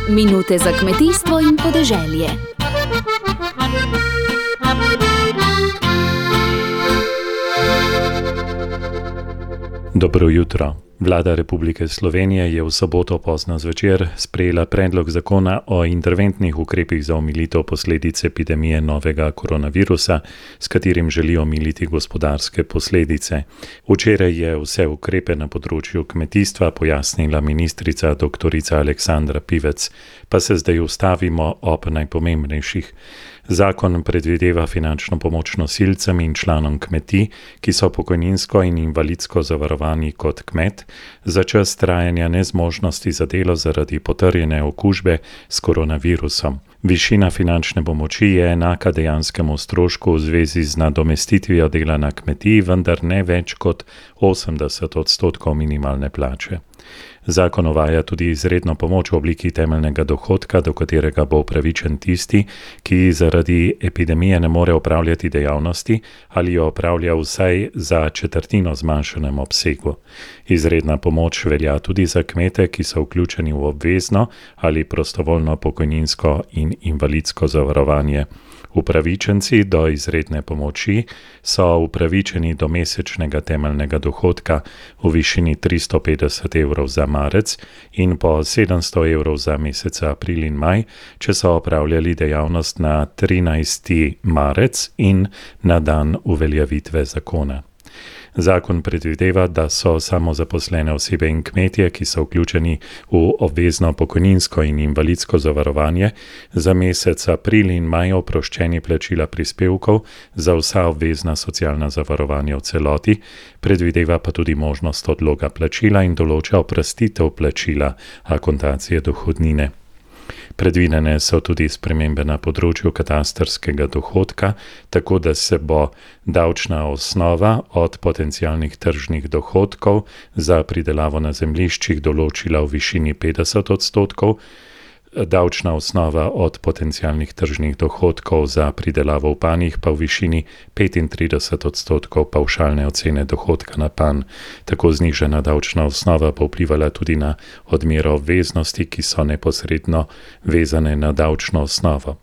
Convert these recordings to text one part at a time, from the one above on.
Minute za kmetijstvo in podeželje. Dobro jutro. Vlada Republike Slovenije je v soboto pozno zvečer sprejela predlog zakona o interventnih ukrepih za omilitev posledic epidemije novega koronavirusa, s katerim želi omiliti gospodarske posledice. Včeraj je vse ukrepe na področju kmetijstva pojasnila ministrica dr. Aleksandra Pivec, pa se zdaj ustavimo ob najpomembnejših. Zakon predvideva finančno pomoč nosilcem in članom kmetij, ki so pokojninsko in invalidsko zavarovani kot kmet, za čas trajanja nezmožnosti za delo zaradi potrjene okužbe s koronavirusom. Višina finančne pomoči je enaka dejanskemu strošku v zvezi z nadomestitvijo dela na kmetiji, vendar ne več kot 80% minimalne plače. Zakon uvaja tudi izredno pomoč v obliki temeljnega dohodka, do katerega bo upravičen tisti, ki zaradi epidemije ne more opravljati dejavnosti ali jo opravlja vsaj za četrtino zmanjšanem obsegu. Izredna pomoč velja tudi za kmete, ki so vključeni v obvezno ali prostovoljno pokojninsko in invalidsko zavarovanje. Upravičenci do izredne pomoči so upravičeni do mesečnega temeljnega dohodka v višini 350 evrov za marec in po 700 evrov za mesece april in maj, če so opravljali dejavnost na 13. marec in na dan uveljavitve zakona. Zakon predvideva, da so samozaposlene osebe in kmetje, ki so vključeni v obvezno pokojninsko in invalidsko zavarovanje, za mesec april in maj oproščeni plačila prispevkov za vsa obvezna socialna zavarovanja v celoti, predvideva pa tudi možnost odloga plačila in določa oprostitev plačila akontacije dohodnine. Predvidene so tudi spremembe na področju katastrskega dohodka, tako da se bo davčna osnova od potencialnih tržnih dohodkov za pridelavo na zemljiščih določila v višini 50%, davčna osnova od potencialnih tržnih dohodkov za pridelavo v panjih pa v višini 35% pavšalne ocene dohodka na panj. Tako znižana davčna osnova pa vplivala tudi na odmero obveznosti, ki so neposredno vezane na davčno osnovo.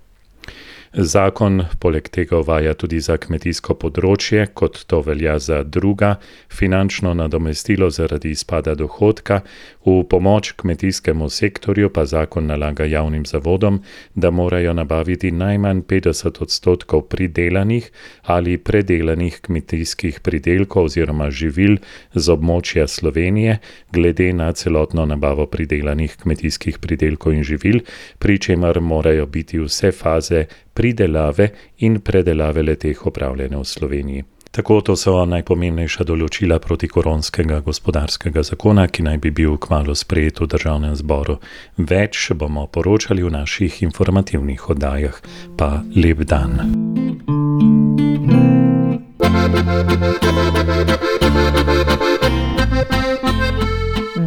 Zakon poleg tega uvaja tudi za kmetijsko področje, kot to velja za druga, finančno nadomestilo zaradi izpada dohodka. V pomoč kmetijskemu sektorju pa zakon nalaga javnim zavodom, da morajo nabaviti najmanj 50% pridelanih ali predelanih kmetijskih pridelkov oziroma živil z območja Slovenije, glede na celotno nabavo pridelanih kmetijskih pridelkov in živil, pri čemer morajo biti vse faze pridelave in predelave le-teh opravljene v Sloveniji. Tako to so najpomembnejša določila protikoronskega gospodarskega zakona, ki naj bi bil kmalu sprejet v Državnem zboru. Več bomo poročali v naših informativnih oddajah. Pa lep dan.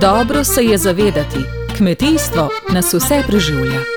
Dobro se je zavedati, kmetijstvo nas vse preživlja.